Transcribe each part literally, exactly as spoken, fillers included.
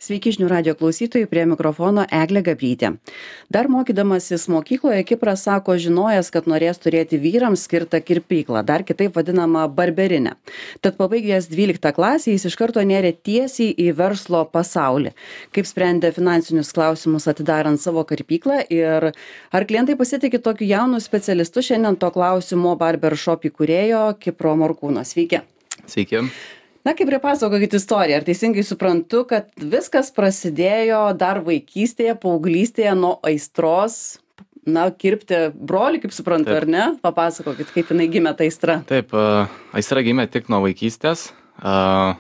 Sveiki žinių radijo klausytojai, prie mikrofono Eglė Gabrytė. Dar mokydamasis mokykloje Kipras sako žinojęs, kad norės turėti vyrams skirtą kirpyklą, dar kitaip vadinamą barberinę. Tad pabaigęs dvyliktą klasę jis iš karto nėrė tiesiai į verslo pasaulį. Kaip sprendė finansinius klausimus atidarant savo kirpyklą ir ar klientai pasitikė tokiu jaunu specialistu, šiandien to klausimo Barbershop įkūrėjo Kipro Morkūno. Sveiki. Sveiki. Na, kaip pripasakokit istoriją, ar teisingai suprantu, kad viskas prasidėjo dar vaikystėje, paauglystėje nuo aistros, na, kirpti brolį, kaip suprantu, Taip. Ar ne? Papasakokit, kaip jinai gimė ta aistra. Taip, uh, aistra gimė tik nuo vaikystės. Uh,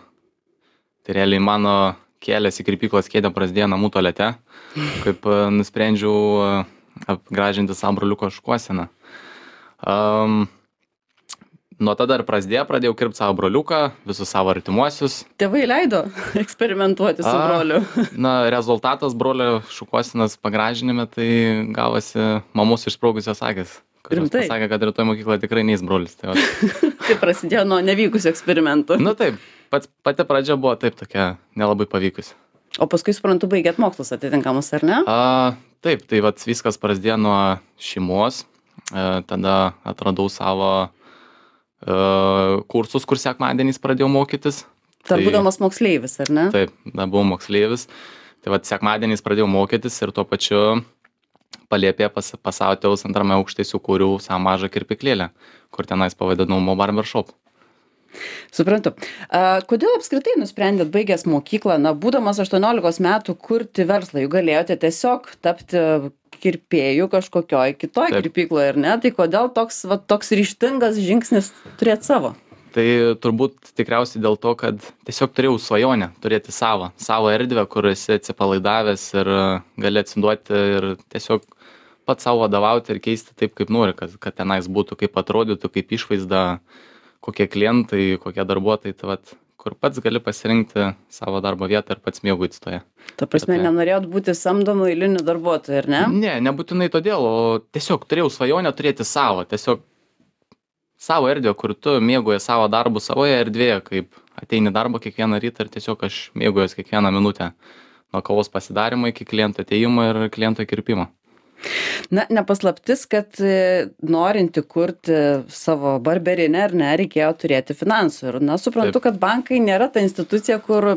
tai realiai mano kelias į kirpyklos kėdę prasidėjo namų tualete, kaip uh, nusprendžiau uh, apgražinti savo broliuko šukuoseną. Um, Nuo tada ir prasidėjo, pradėjau kirpti savo broliuką, visus savo artimuosius. Tėvai leido eksperimentuoti su A, broliu. Na, rezultatas brolio šukuosenos pagražinime, tai gavosi mamos išsprogusios akis. Kuris pasakė, kad rytoj mokykloje tikrai neis brolis. Tai, tai prasidėjo nuo nevykusių eksperimentų. Na taip, pats, pati pradžia buvo taip tokia nelabai pavykusi. O paskui, suprantu, baigėt mokslus atitinkamus, ar ne? A, taip, tai vat, viskas prasidėjo nuo šeimos. A, tada atradau savo Uh, kursus, kur sekmadieniais pradėjau mokytis. Dar tai, būdamas moksleivis, ar ne? Taip, dar buvau moksleivis. Tai vat sekmadieniais pradėjau mokytis ir tuo pačiu Palėpėje pas, pas savo tėvus antrame aukšte sukūriau savo mažą kirpyklėlę, kur tenais pavadinau Mo Barbershop. Suprantu. A, kodėl apskritai nusprendėt baigęs mokyklą, na, būdamas aštuoniolikos metų kurti verslą, juk galėjote tiesiog tapti kirpėjų kažkokioj kitoj kirpykloje, ar ne? Tai kodėl toks, va, toks ryžtingas žingsnis turėti savo? Tai turbūt tikriausiai dėl to, kad tiesiog turėjau svajonę turėti savo, savo erdvę, kur esi atsipalaidavęs ir gali atsiduoti ir tiesiog pats savo vadovauti ir keisti taip, kaip nori, kad, kad tenais būtų, kaip atrodytų, kaip išvaizda, kokie klientai, kokie darbuotojai, tai vat, kur pats gali pasirinkti savo darbo vietą ir pats mėgautis toje. Ta prasme, Toje. Nenorėjot būti samdomu eiliniu darbuotoju, ar ne? Ne, nebūtinai todėl, o tiesiog turėjau svajonę turėti savo, tiesiog savo erdvę, kur tu mėgauji savo darbų savoje erdvėje, kaip ateini darbą kiekvieną rytą ir tiesiog aš mėgaujuos kiekvieną minutę nuo kavos pasidarimo iki kliento ateimo ir kliento kirpimo. Na, nepaslaptis, kad norinti kurti savo barberinę, ar ne, reikėjo turėti finansų. Ir, na, suprantu, taip. Kad bankai nėra ta institucija, kur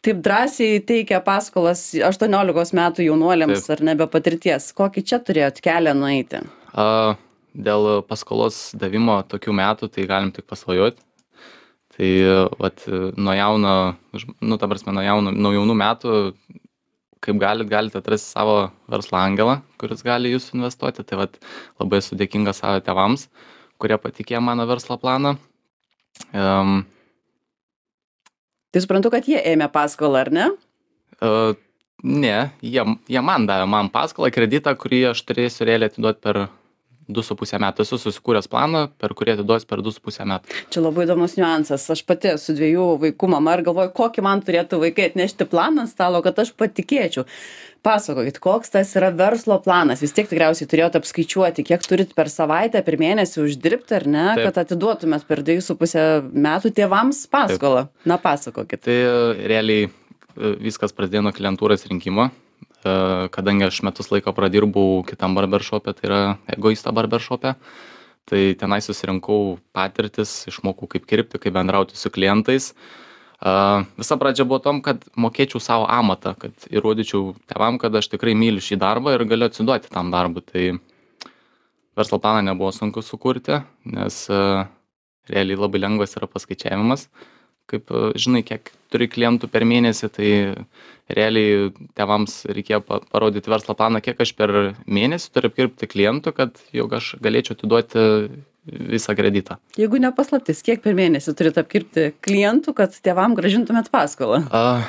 taip drąsiai teikia paskolas aštuoniolikos metų jaunuoliams, taip. Ar ne, be patirties. Kokį čia turėjot kelią nueiti? A, dėl paskolos davimo tokių metų, tai galim tik pasvajoti. Tai, vat, nuo jauno, nu, ta prasme, nuo, jauno, nuo jaunų metų, kaip galit, galite atrasti savo verslo angelą, kuris gali jūs investuoti. Tai vat, labai esu dėkingas savo tėvams, kurie patikėjo mano verslo planą. Um, tai suprantu, kad jie ėmė paskolą, ar ne? Uh, ne, jie, jie man davė man paskolą, kreditą, kurį aš turėsiu realiai atiduoti per du su pusę metų. Esu susikūręs planą, per kurį atiduosiu per du su pusę metų. Čia labai įdomus niuansas. Aš pati su dviejų vaikų mama ir galvoju, kokį man turėtų vaikai atnešti planą ant stalo, kad aš patikėčiau. Pasakokit, koks tas yra verslo planas. Vis tiek tikriausiai turėjot apskaičiuoti, kiek turit per savaitę, per mėnesį uždirbti, ar ne, Taip. Kad atiduotumėt per du su pusę metų tėvams paskolą. Taip. Na, pasakokit. Tai realiai viskas prasidėjo nuo klientūros rinkimo. Kadangi aš metus laiko pradirbau kitam barbershop'e, tai yra Egoista barbershop'e, tai tenai susirinkau patirtis, išmokau kaip kirpti, kaip bendrauti su klientais. Visa pradžia buvo tom, kad mokėčiau savo amatą, kad įrodyčiau tėvam, kad aš tikrai myliu šį darbą ir galiu atsiduoti tam darbui. Tai verslo planą nebuvo sunku sukurti, nes realiai labai lengvas yra paskaičiavimas. Kaip žinai, kiek turi klientų per mėnesį, tai realiai tėvams reikėjo parodyti verslo planą, kiek aš per mėnesį turiu apkirpti klientų, kad jau aš galėčiau atiduoti visą kreditą. Jeigu nepaslaptis, kiek per mėnesį turite apkirpti klientų, kad tėvam grąžintumėt paskolą? A,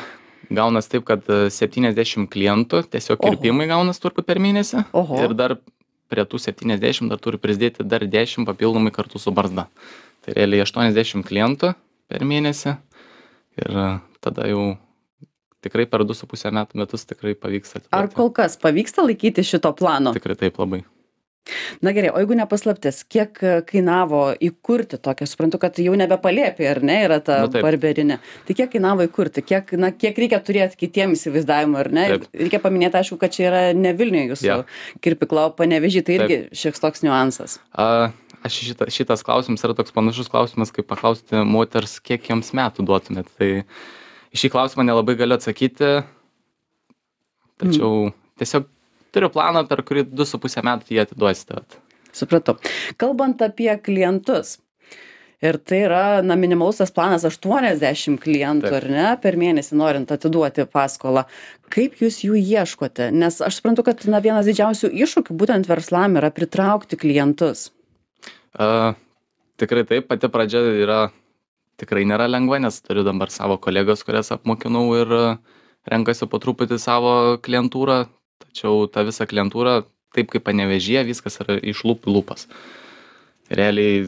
gaunas taip, kad septyniasdešimt klientų, tiesiog kirpimai Oho. Gaunas turbūt per mėnesį. Oho. Ir dar prie tų septyniasdešimt dar turi prisidėti dar dešimt papildomai kartu su barzda. Tai realiai aštuoniasdešimt klientų per mėnesį ir tada jau tikrai per du su pusę metų metus tikrai pavyks atiduoti. Ar kol kas pavyksta laikyti šito plano? Tikrai taip labai. Na gerai, o jeigu ne paslaptis, kiek kainavo įkurti tokią, suprantu, kad jau nebepalėpė, ar ne, yra ta Nu, taip. barberinė. Tai kiek kainavo įkurti, kiek, na, kiek reikia turėti kitiem įsivaizdavimui, ar ne? Taip. Reikia paminėti, aišku, kad čia yra ne Vilniuje jūsų Jo. kirpykla, o Panevėžy, tai irgi šiek toks niuansas. A, aš šita, šitas klausimas yra toks panašus klausimas, kaip paklausti moters, kiek jiems metų duotumėt. Tai į šį klausimą nelabai galiu atsakyti, tačiau mm. tiesiog turiu planą, per kurį du su pusę metų jį atiduosite. vat. Supratau. Kalbant apie klientus, ir tai yra, na, minimalus tas planas aštuoniasdešimt klientų, Taip. ar ne, per mėnesį norint atiduoti paskolą. Kaip jūs jų ieškote? Nes aš suprantu, kad, na, vienas didžiausių iššūkių būtent verslam yra pritraukti klientus. A, tikrai taip, pati pradžia yra, tikrai nėra lengva, nes turiu dabar savo kolegos, kurias apmokinau ir a, renkasi po truputį savo klientūrą, tačiau ta visa klientūra, taip kaip Panevėžyje, viskas yra iš lūpų į lūpas. Realiai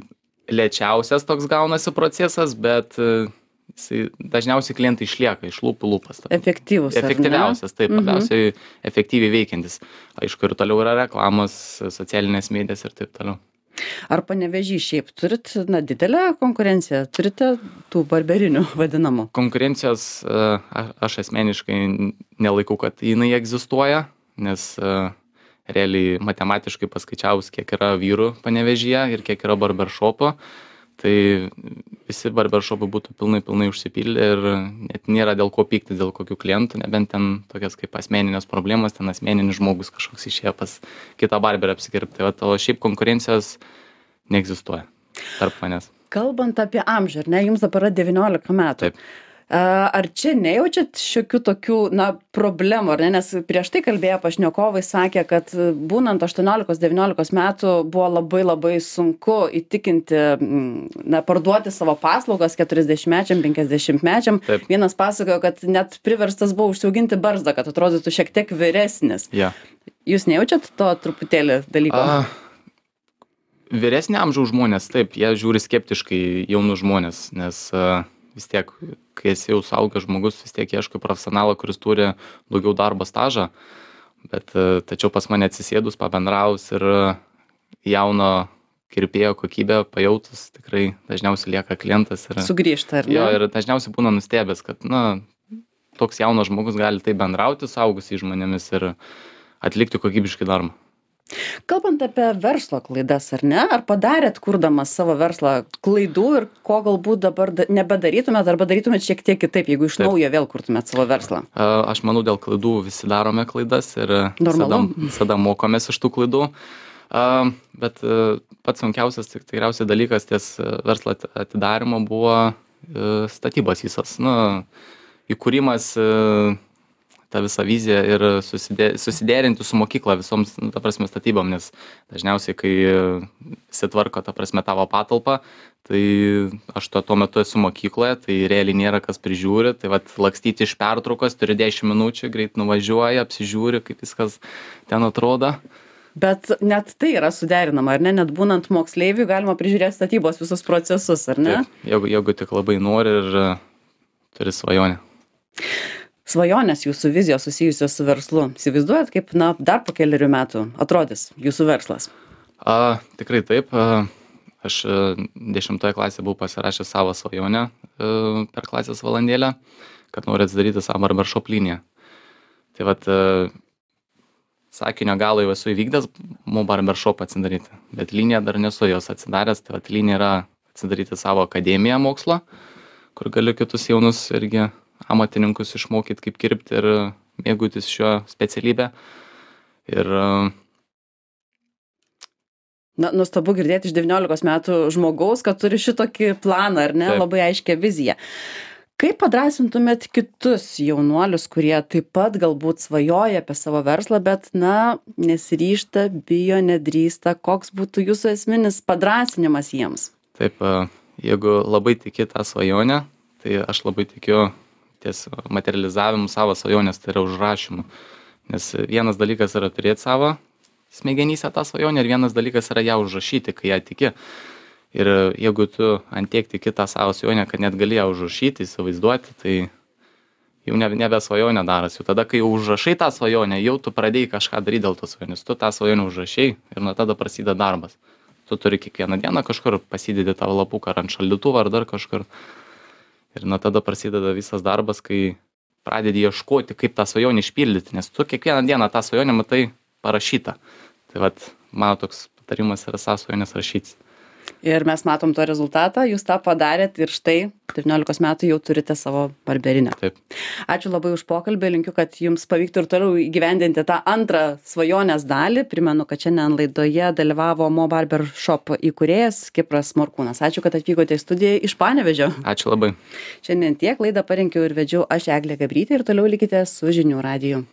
lėčiausias toks gaunasi procesas, bet e, jisai, dažniausiai klientai išlieka iš lūpų į lūpas. Efektyvus, ar ne? Efektyviausias, taip, Mhm. labiausiai efektyviai veikiantis. Aišku, ir toliau yra reklamos, socialinės medijas ir taip toliau. Ar Panevėžy šiaip turit, na, didelę konkurenciją? Turite tų barberinių vadinamų? Konkurencijos e, a- aš asmeniškai nelaikau, kad jinai egzistuoja, nes e, realiai matematiškai paskaičiavus, kiek yra vyrų Panevėžyje ir kiek yra barberšopų, tai visi barberšopai būtų pilnai, pilnai užsipildę ir net nėra dėl ko pykti, dėl kokių klientų, nebent ten tokias kaip asmeninės problemos, ten asmeninis žmogus kažkoks išėjo pas kitą barberą apsikirpti. Tai vat, o šiaip konkurencijos neegzistuoja tarp manęs. Kalbant apie amžių, ar ne, jums dabar yra devyniolika metų. Taip. A, Ar čia nejaučiat šiokių tokių, na, problemų, ar ne? Nes prieš tai kalbėję pašnekovai sakė, kad būnant aštuoniolikos devyniolikos metų buvo labai labai sunku įtikinti, mm, na, parduoti savo paslaugas keturiasdešimtmečiam, penkiasdešimtmečiam. Taip. Vienas pasakojo, kad net priverstas buvo užsiauginti barzdą, kad atrodytų šiek tiek vyresnis. Ja. Jūs nejaučiat to truputėlį dalyko? A, vyresnio amžiaus žmonės, taip, jie žiūri skeptiškai į jaunus žmonės, nes a, vis tiek, kai esi jau suaugęs žmogus, vis tiek ieškai profesionalo, kuris turi daugiau darbo stažą, bet a, tačiau pas mane atsisėdus, pabendraus ir a, jauno kirpėjo kokybę pajautus, tikrai dažniausiai lieka klientas. Ir, Sugrįžta, ar ne? jo, ir dažniausiai būna nustebęs, kad, na, toks jaunas žmogus gali taip bendrauti suaugusiais žmonėmis ir atlikti kokybiškai darbą. Kalbant apie verslo klaidas, ar ne? Ar padarėt, kurdamas savo verslą, klaidų ir ko galbūt dabar da- nebedarytumėt arba darytumėt šiek tiek kitaip, jeigu iš Taip. naujo vėl kurtumėt savo verslą? A, Aš manau, dėl klaidų visi darome klaidas ir visada, Normalu. visada mokomės iš tų klaidų. A, Bet a, pats sunkiausias tik tikriausiai dalykas ties a, verslo ati- atidarymo buvo a, statybos visos. Nu, įkūrimas, a, ta visa vizija ir susidė, susiderinti su mokykla visoms, nu, ta prasme, statybom, nes dažniausiai, kai sitvarko, ta prasme, tavo patalpą, tai aš tuo, tuo metu esu mokykloje, tai realiai nėra kas prižiūri, tai vat lakstyti iš pertraukos, turi dešimt minučių, greit nuvažiuoja, apsižiūri, kaip viskas ten atrodo. Bet net tai yra suderinama, ar ne? Net būnant moksleiviui galima prižiūrėti statybos visus procesus, ar ne? Taip, jeigu, jeigu tik labai nori ir a, turi svajonę. Svajonės jūsų vizijos susijusios su verslu. Įsivaizduojat, kaip, na, dar po keliarių metų atrodys jūsų verslas? A, tikrai taip. A, aš a, dešimtoje klasėje buvau pasirašęs savo svajonę a, per klasės valandėlę, kad noriu atsidaryti savo barbershop liniją. Tai vat, a, sakinio galą jau esu įvykdęs, mo barbershop atsidaryti, bet liniją dar nesu jos atsidaręs. Tai vat, linija yra atsidaryti savo akademiją mokslo, kur galiu kitus jaunus irgi amatininkus išmokyti, kaip kirpti ir mėgautis šio specialybę. Ir a, Na, nuostabu girdėti iš devyniolikos metų žmogaus, kad turi šitokį planą, ar ne? Taip. Labai aiškią viziją. Kaip padrąsintumėt kitus jaunuolius, kurie taip pat galbūt svajoja apie savo verslą, bet, na, nesiryžta, bijo, nedrįsta? Koks būtų jūsų esminis padrąsinimas jiems? taip, a, jeigu labai tiki tą svajonę, tai aš labai tikiu ties materializavimu savo svajonės, tai yra užrašymu. Nes vienas dalykas yra turėti savo smegenyse tą svajonę ir vienas dalykas yra ją užrašyti, kai ją tiki. Ir jeigu tu ant tiek tiki tą savo svajonę, kad net gali ją užrašyti, įsivaizduoti, tai jau nebe, nebe svajonė daras. Jau tada, kai jau užrašai tą svajonę, jau tu pradėjai kažką daryti dėl tos svajonės. Tu tą svajonę užrašai ir nuo tada prasideda darbas. Tu turi kiekvieną dieną kažkur pasidėti tą lapuką ar ant šaldytuvą ar dar kažkur. Ir nuo tada prasideda visas darbas, kai pradedi ieškoti, kaip tą svajonę išpildyti, nes tu kiekvieną dieną tą svajonę matai parašytą. Tai vat, mano toks patarimas yra savo svajonės rašyti. Ir mes matom to rezultatą, jūs tą padarėt ir štai devyniolikos metų jau turite savo barberinę. Taip. Ačiū labai už pokalbį, linkiu, kad jums pavyktų ir toliau įgyvendinti tą antrą svajonės dalį. Primenu, kad šiandien laidoje dalyvavo Mo Barber Shop įkūrėjas Kipras Morkūnas. Ačiū, kad atvykote į studiją iš Panevėžio. Ačiū labai. Šiandien tiek laidą parengiau ir vedžiau aš Eglė Gabrytė ir toliau likite su Žinių radiju.